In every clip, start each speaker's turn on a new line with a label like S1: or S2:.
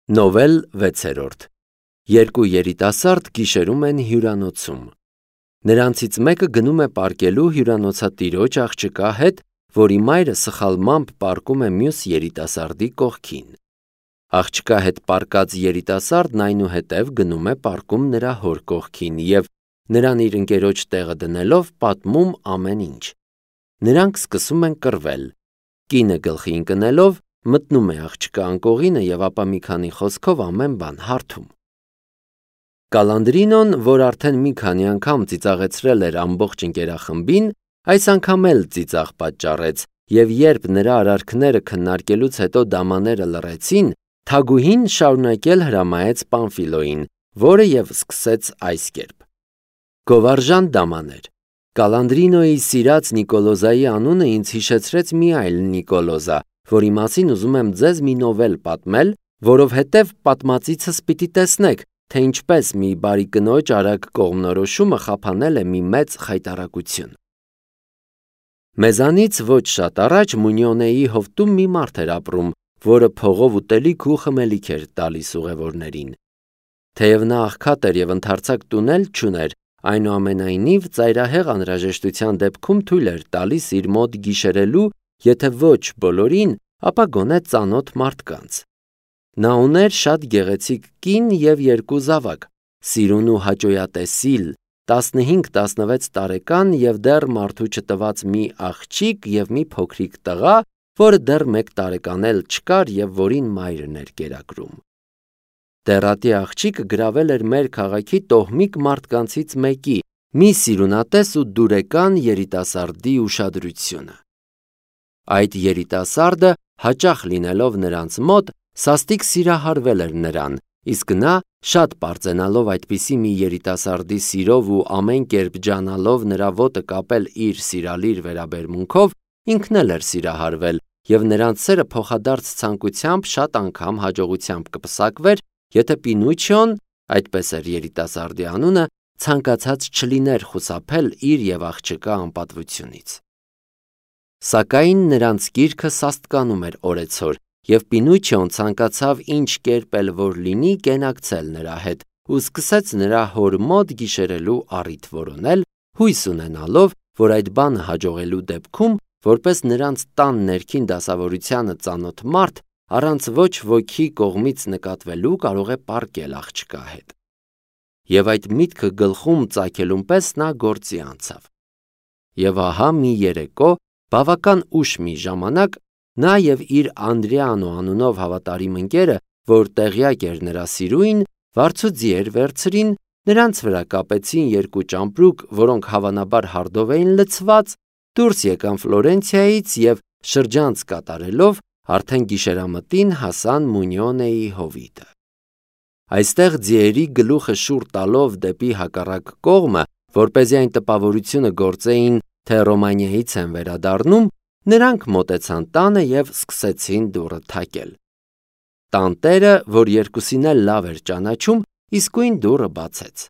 S1: Նովել 6-րդ Երկու երիտասարդ գիշերում են հյուրանոցում։ Նրանցից մեկը գնում է պարկելու հյուրանոցատիրոջ աղջկա հետ, որի մայրը սխալմամբ պառկում է մյուս երիտասարդի կողքին։ Աղջկա հետ պառկած երիտասարդն այնուհետև գնում է պառկում նրա հոր կողքին և, նրան իր ընկերոջ տեղը դնելով, պատմում ամեն ինչ։ Նրանք սկսում են կռվել։ Կինը գլխի ընկնելով, մտնում է աղջկա անկողինը և ապա մի քանի խոսքով ամեն բան հարթում։ Կալանդրինոն, որ արդեն մի քանի անգամ ծիծաղեցրել էր ամբողջ ընկերախմբին, այս անգամ էլ ծիծաղ պատճառեց, և երբ նրա արարքները քննարկելուց հետո դամաները լռեցին, թագուհին շարունակել հրամայեց Պամֆիլոյին, որը և սկսեց այս կերպ. «Գովարժան դամաներ, Կալանդրինոյի սիրած Նիկոլոզայի անունը ինձ հիշեցրեց մի այլ Նիկոլոզա, որի մասին ուզում եմ ձեզ մի նովել պատմել, որովհետև պատմածիցս պիտի տեսնեք, թե ինչպես մի բարի կնոջ արագ կողմնորոշումը խափանել է մի մեծ խայտառակություն։ Մեզանից ոչ շատ առաջ Մունյոնեի հովտում մի մարդ էր ապրում, որը փողով ուտելիք ու խմելիք էր տալիս ուղևորներին։ Թեև նա աղքատ էր և ընդարձակ տուն էլ չուներ, այնուամենայնիվ ծայրահեղ անհրաժեշտության դեպքում թույլ էր տալիս իր մոտ գիշերելու, եթե ոչ բոլորին, ապա գոնե ծանոթ մարդկանց։ Նա ուներ շատ գեղեցիկ կին և երկու զավակ, սիրուն ու հաճոյատեսիլ, 15-16 տարեկան և դեռ մարդու չտված մի աղջիկ և մի փոքրիկ տղա, որը դեռ 1 տարեկան էլ չկար և որին մայրն էր կերակրում։ Դեռատի աղջիկը գրավել էր մեր քաղաքի տոհմիկ մարդկանցից մեկի, մի սիրունատես ու դուրեկան երիտասարդի ուշադրությունը։ Այդ երիտասարդը, հաճախ լինելով նրանց մոտ, սաստիկ սիրահարվել էր նրան, իսկ նա, շատ պարծենալով այդպիսի մի երիտասարդի սիրով ու ամեն կերպ ջանալով նրա ոտը կապել իր սիրալիր վերաբերմունքով, ինքն էլ էր սիրահարվել, և նրանց սերը փոխադարձ ցանկությամբ շատ անգամ հաջողությամբ կպսակվեր, եթե Պինուչիոն, այդպես էր երիտասարդի անունը, ցանկացած չլիներ խուսափել իր և աղջկա անպատվությունից։ Սակայն նրանց կիրքը սաստկանում էր օրեցօր, և Պինուչիոն ցանկացավ ինչ կերպ էլ որ լինի կենակցել նրա հետ ու սկսեց նրա հոր մոտ գիշերելու առիթ որոնել, հույս ունենալով, որ այդ բանը հաջողելու դեպքում, որպես նրանց տան ներքին դասավորությանը ծանոթ մարդ, առանց ոչ ոքի կողմից նկատվելու կարող է պառկել աղջկա հետ։ Եվ այդ միտքը գլխում ծագելուն պես նա գործի անցավ։ Եվ ահա մի երեկո, բավական ուշ մի ժամանակ, նա և իր Անդրեանո անունով հավատարիմ ընկերը, որ տեղյակ էր նրա սիրուին, վարձու ձիեր վերցրին, նրանց վրա կապեցին 2 ճամպրուկ, որոնք հավանաբար հարդով էին լցված, դուրս եկան Ֆլորենցիայից և շրջանց կատարելով արդեն գիշերամտին հասան Մունյոնեի հովիտը։ Այստեղ ձիերի գլուխը շուռ տալով դեպի հակառակ կողմը, որպեսզի այն տպավորությունը գործեին, թե Ռոմանիայից են վերադառնում, նրանք մոտեցան տանը և սկսեցին դուռը թակել։ Տանտերը, որ երկուսին էլ լավ էր ճանաչում, իսկույն դուռը բացեց։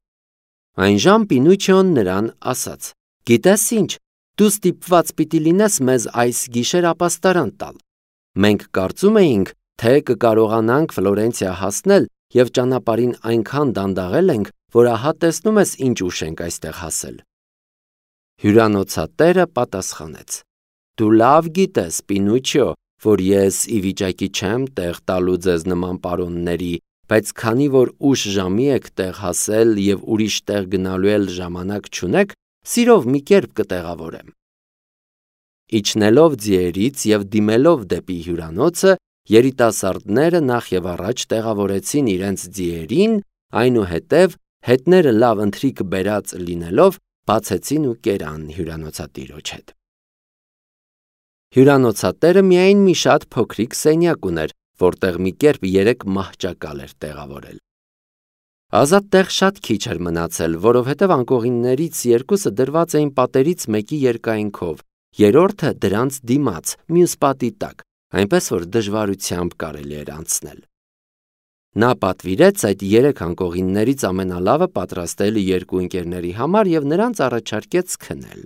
S1: Այնժամ Պինուչիոն նրան ասաց. «Գիտես ինչ, դու ստիպված պիտի լինես մեզ այս գիշեր ապաստարան տալ։ Մենք կարծում էինք, թե կկարողանանք Ֆլորենցիա հասնել և ճանապարհին այնքան դանդաղել ենք, որ ահա տեսնում ես ինչ ուշ ենք այստեղ հասել»։ Հյուրանոցատերը պատասխանեց. «Դու լավ գիտես, Պինուչիո, որ ես ի վիճակի չեմ տեղ տալու ձեզ նման պարոնների, բայց քանի որ ուշ ժամի եք տեղ հասել և ուրիշ տեղ գնալու էլ ժամանակ չունեք, սիրով մի կերպ կտեղավորեմ»։ Իջնելով ձիերից և դիմելով դեպի հյուրանոցը, երիտասարդները նախ և առաջ տեղավորեցին իրենց ձիերին, այնուհետև, հետները լավ ընթրիք բերած լինելով, բացեցին ու կերան հյուրանոցատիրոջ հետ։ Հյուրանոցատերը միայն մի շատ փոքրիկ սենյակ ուներ, որտեղ մի կերպ 3 մահճակալ էր տեղավորել։ Ազատ տեղ շատ քիչ էր մնացել, որովհետև անկողիններից 2-ը դրված էին պատերից մեկի երկայնքով, երրորդը դրանց դիմաց, մյուս պատի տակ, այնպես որ դժվարությամբ կարելի էր անցնել։ Նա պատվիրեց այդ 3 անկողիններից ամենալավը պատրաստել 2 ընկերների համար և նրանց առաջարկեց քնել։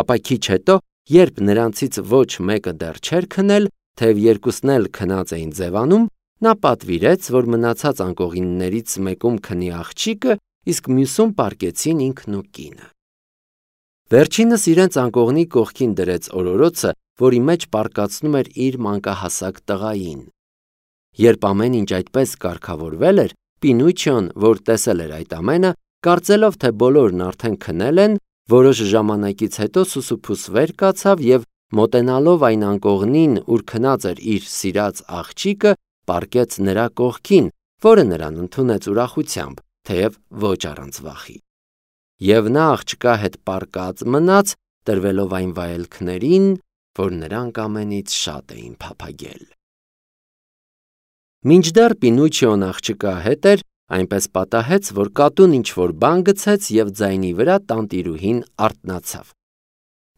S1: Ապա քիչ հետո, երբ նրանցից ոչ մեկը դեռ չէր քնել, թեև երկուսն էլ քնած էին ձևանում, նա պատվիրեց, որ մնացած անկողիններից մեկում քնի աղջիկը, իսկ մյուսում պառկեցին ինքն ու կինը։ Վերջինս իրենց անկողնի կողքին դրեց օրորոցը, որի մեջ պառկացնում էր իր մանկահասակ տղային։ Երբ ամեն ինչ այդպես կարգավորվել էր, Պինուչիոն, որ տեսել էր այդ ամենը, կարծելով, թե բոլորն արդեն քնել են, որոշ ժամանակից հետո սուսուփուս վեր կացավ և մոտենալով այն անկողնին, ուր քնած էր իր սիրած աղջիկը, պառկեց նրա կողքին, որը նրան ընդունեց ուրախությամբ, թեև ոչ առանց վախի։ Եվ նա աղջկա հետ պառկած մնաց, տրվելով այն վայելքներին, որ նրանք ամենից շատ էին փափագել։ Մինչդեռ Պինուչիոն աղջկա հետ էր, այնպես պատահեց, որ կատուն ինչ-որ բան գցեց և ձայնի վրա տանտիրուհին արթնացավ։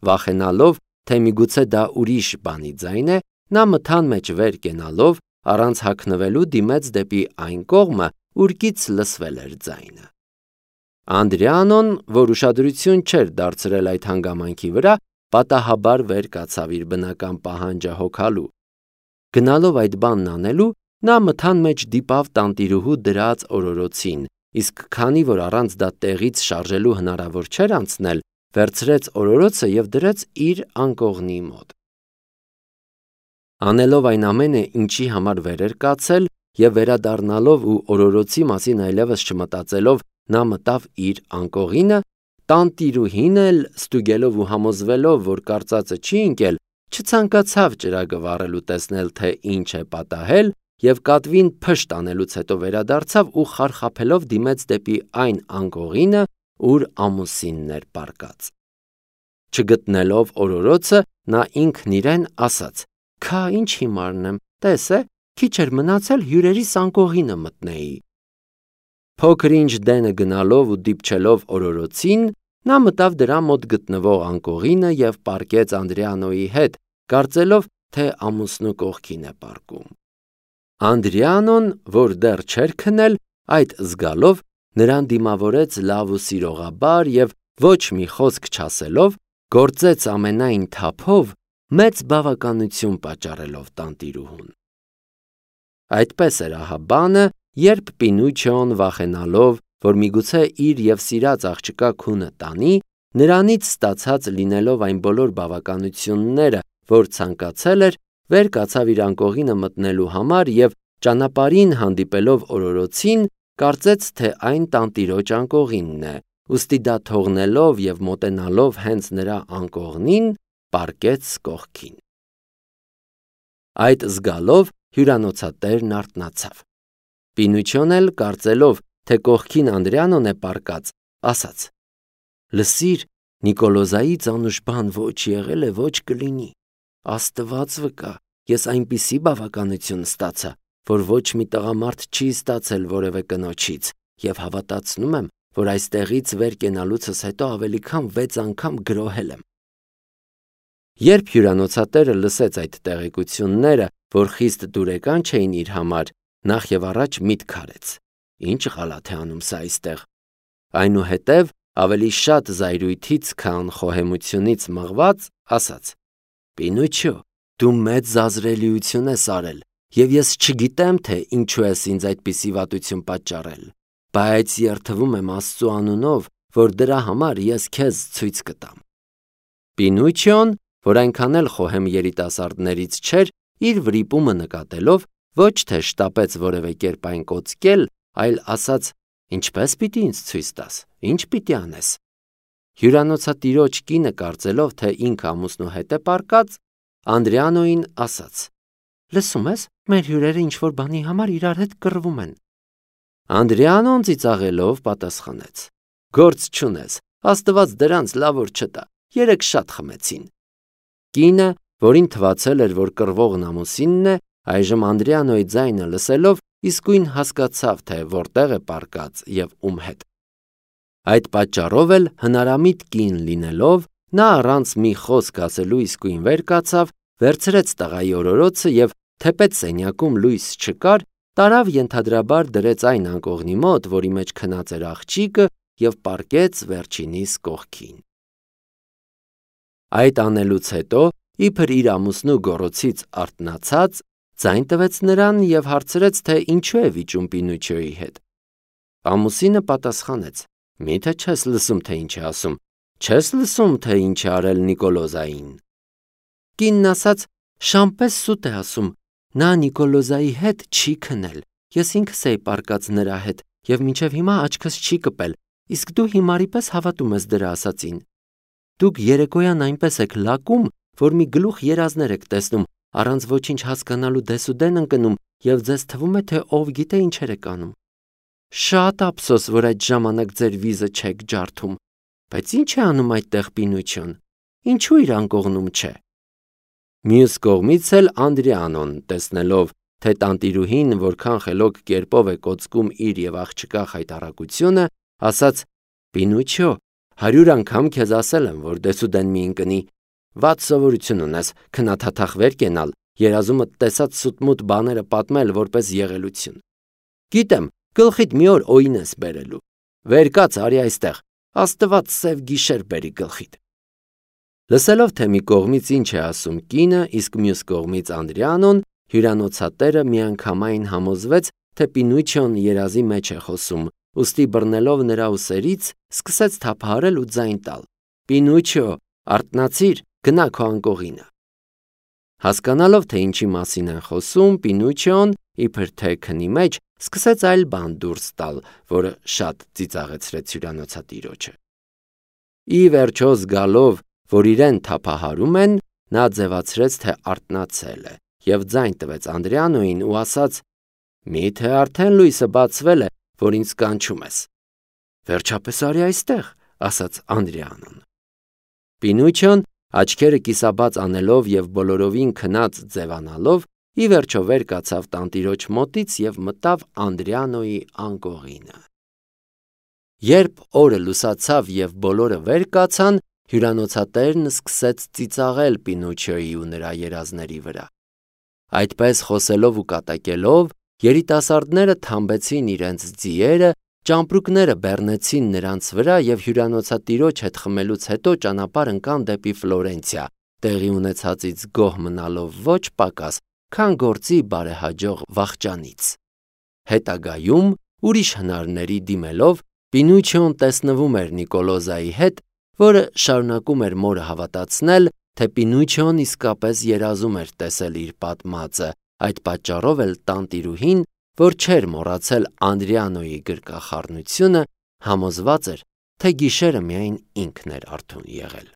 S1: Վախենալով, թե միգուցե դա ուրիշ բանի ձայն է, նա մթան մեջ վեր կենալով, առանց հագնվելու դիմեց դեպի այն կողմը, ուր լսվել էր ձայնը։ Անդրեանոն, որ ուշադրություն չէր դարձրել այդ հանգամանքի վրա, պատահաբար վեր կացավ իր բնական պահանջը հոգալու։ Գնալով այդ բանն անելու, նա մթան մեջ դիպավ տանտիրուհու դրած օրորոցին, իսկ քանի որ առանց դա տեղից շարժելու հնարավոր չէր անցնել, վերցրեց օրորոցը և դրեց իր անկողնի մոտ։ Անելով այն ամենը, ինչի համար վեր էր կացել, և վերադառնալով ու օրորոցի մասին այլևս չմտածելով, նա մտավ իր անկողինը, տանտիրուհին էլ, ստուգելով ու համոզվելով, որ կարծածը չի ընկել, չցանկացավ ճրագը վառել ու տեսնել, թե ինչ է պատահել, և կատվին փշտ անելուց հետո վերադարձավ ու խարխափելով դիմեց դեպի այն անկողինը, ուր ամուսինն էր պառկած։ Չգտնելով օրորոցը, նա ինքն իրեն ասաց. «Քա ինչ հիմարն եմ, տես է, քիչ էր մնացել հյուրերիս անկողինը մտնեի»։ Փոքր ինչ դենը գնալով ու դիպչելով օրորոցին, նա մտավ դրա մոտ գտնվող անկողինը և պառկեց Անդրեանոյի հետ, կարծելով, թե ամուսնու կողքին է պառկում։ Անդրեանոն, որ դեռ չէր քնել, այդ զգալով, նրան դիմավորեց լավ ու սիրողաբար և ոչ մի խոսք չասելով, գործեց ամենայն թափով, մեծ բավականություն պատճառելով տանտիրուհուն։ Այդպես էր ահա բանը, երբ Պինուչիոն վախենալով, որ միգուցե իր և սիրած աղջկա քունը տանի, նրանից ստացած լինելով այն բոլոր բավականությունները, որ ցանկացել էր, վեր կացավ իր անկողինը մտնելու համար և ճանապարհին հանդիպելով օրորոցին, կարծեց, թե այն տանտիրոջ անկողինն է, ուստի դա թողնելով և մոտենալով հենց նրա անկողնին, պառկեց կողքին։ Այդ զգալով հյուրանոցատերն արթնացավ։ Պինուչիոն էլ, կարծելով, թե կողքին Անդրեանոն է պառկած, ասաց. «Լսիր, Նիկոլոզայից անուշ բան ոչ եղել է, ոչ կլինի։ Աստված վկա, ես այնպիսի բավականություն ստացա, որ ոչ մի տղամարդ չի ստացել որևէ կնոջից, և հավատացնում եմ, որ այստեղից վեր կենալուցս հետո ավելի քան 6 անգամ գրոհել եմ»։ Երբ հյուրանոցատերը լսեց այդ տեղեկությունները, որ խիստ դուրեկան չէին իր համար, նախ և առաջ միտք արեց. «Ինչ ղալաթ է անում սա այստեղ»։ Այնուհետև, ավելի շատ զայրույթից, քան խոհեմությունից մղված, ասաց. «Պինուչիո, դու մեծ զազրելիություն ես արել, և ես չգիտեմ, թե ինչու ես ինձ այդպիսի վատություն պատճառել, բայց երդվում եմ Աստծու անունով, որ դրա համար ես քեզ ցույց կտամ»։ Պինուչիոն, որ այնքան էլ խոհեմ երիտասարդներից չէր, իր վրիպումը նկատելով, ոչ թե շտապեց որևէ կերպ այն կոծկել, այլ ասաց. «Ինչպե՞ս պիտի ինձ ցույց տաս, ինչ պիտի անես»։ Հյուրանոցատիրոջ կինը, կարծելով, թե ինքը ամուսնու հետ է պառկած, Անդրեանոյին ասաց. «Լսում ես, մեր հյուրերը ինչ-որ բանի համար իրար հետ կռվում են»։ Անդրեանոն ծիծաղելով պատասխանեց. «Գործ չունես, Աստված դրանց լավ օր չտա, երեկ շատ խմեցին»։ Կինը, որին թվացել էր, որ կռվողն ամուսինն է, այժմ Անդրեանոյի ձայնը լսելով, իսկույն հասկացավ, թե որտեղ է պառկած և ում հետ։ Այդ պատճառով էլ հնարամիտ կին լինելով, նա առանց մի խոսք ասելու իսկույն վեր կացավ, վերցրեց տղայի օրորոցը և, թեպետ սենյակում լույս չկար, տարավ ենթադրաբար դրեց այն անկողնի մոտ, որի մեջ քնած էր աղջիկը, և պառկեց վերջինիս կողքին։ Այդ անելուց հետո, իբր իր ամուսնու գոռոցից արթնացած, ձայն տվեց նրան և հարցրեց, թե ինչու է վիճում Պինոչիոյի հետ։ Ամուսինը պատասխանեց. «Միթե չես լսում, թե ինչ է ասում, չես լսում, թե ինչ է արել Նիկոլոզային»։ Կինն ասաց. «Շան պես սուտ է ասում, նա Նիկոլոզայի հետ չի քնել, ես ինքս էի պառկած նրա հետ և մինչև հիմա աչքս չի կպել, իսկ դու հիմարի պես հավատում ես դրա ասածին։ Դուք երեկոյան այնպես եք լակում, որ մի գլուխ երազներ եք տեսնում, առանց ոչինչ հասկանալու դեսուդեն ընկնում և ձեզ թվում է, թե ով գիտե ինչեր եք անում։ Շատ ափսոս, որ այդ ժամանակ ձեր վիզը չեք ջարդում, բայց ինչ է անում այդտեղ Պինոչիոն, ինչու իր անկողնում չէ»։ Մյուս կողմից էլ Անդրեանոն, տեսնելով, թե տանտիրուհին որքան խելոք կերպով է կոծկում իր և աղջկա խայտառակությունը, ասաց. «Պինոչիո, 100 անգամ քեզ ասել եմ, որ դեսուդեն մի ընկնի, վատ սովորություն ունես քնաթաթախ վեր կենալ, երազումդ տեսած սուտմուտ բաները պատմել որպես եղելություն։ Գիտեմ, գլխիդ մի օր օին ես բերելու, վեր կաց արի այստեղ, Աստված սև գիշեր բերի գլխիդ»։ Լսելով, թե մի կողմից ինչ է ասում կինը, իսկ մյուս կողմից Անդրեանոն, հյուրանոցատերը միանգամայն համոզվեց, թե Պինոչիոն երազի մեջ է խոսում, ուստի բռնելով նրա ուսերից, սկսեց թափահարել ու ձայն տալ. «Պինոչիո, արթնացիր, գնա քո անկողինը»։ Հասկանալով, թե ինչի մասին են խոսում, Պինոչիոն, իբր թե քնի մեջ, սկսեց այլ բան դուրս տալ, որը շատ ծիծաղեցրեց հյուրանոցատիրոջը։ Ի վերջո զգալով, որ իրեն թափահարում են, նա ձևացրեց, թե արթնացել է և ձայն տվեց Անդրեանոյին ու ասաց. «Միթե արդեն լույսը բացվել է, որ ինձ կանչում ես»։ «Վերջապես արի այստեղ», ասաց Անդրեանոն։ Պինոչիոն, աչքերը կիսաբաց անելով և բոլորովին քնած ձևանալով, ի վերջո վեր կացավ տանտիրոջ մոտից և մտավ Անդրեանոյի անկողինը։ Երբ օրը լուսացավ և բոլորը վեր կացան, հյուրանոցատերն սկսեց ծիծաղել Պինոչիոյի ու նրա երազների վրա։ Այդպես խոսելով ու կատակելով, երիտասարդները թամբեցին իրենց ձիերը, ճամպրուկները բեռնեցին նրանց վրա և հյուրանոցատիրոջ հետ խմելուց հետո ճանապարհ ընկան դեպի Ֆլորենցիա, տեղի ունեցածից գոհ մնալով ոչ պակաս, քան գործի բարեհաջող վախճանից։ Հետագայում, ուրիշ հնարների դիմելով, Պինոչիոն տեսնվում էր Նիկոլոզայի հետ, որը շարունակում էր մորը հավատացնել, թե Պինոչիոն իսկապես երազում էր տեսել իր պատմածը, այդ պատճառով էլ տանտիրուհին, որ չէր մոռացել Անդրեանոյի գրկախառնությունը, համոզված էր, թե գիշերը միայն ինքն էր արթուն եղել։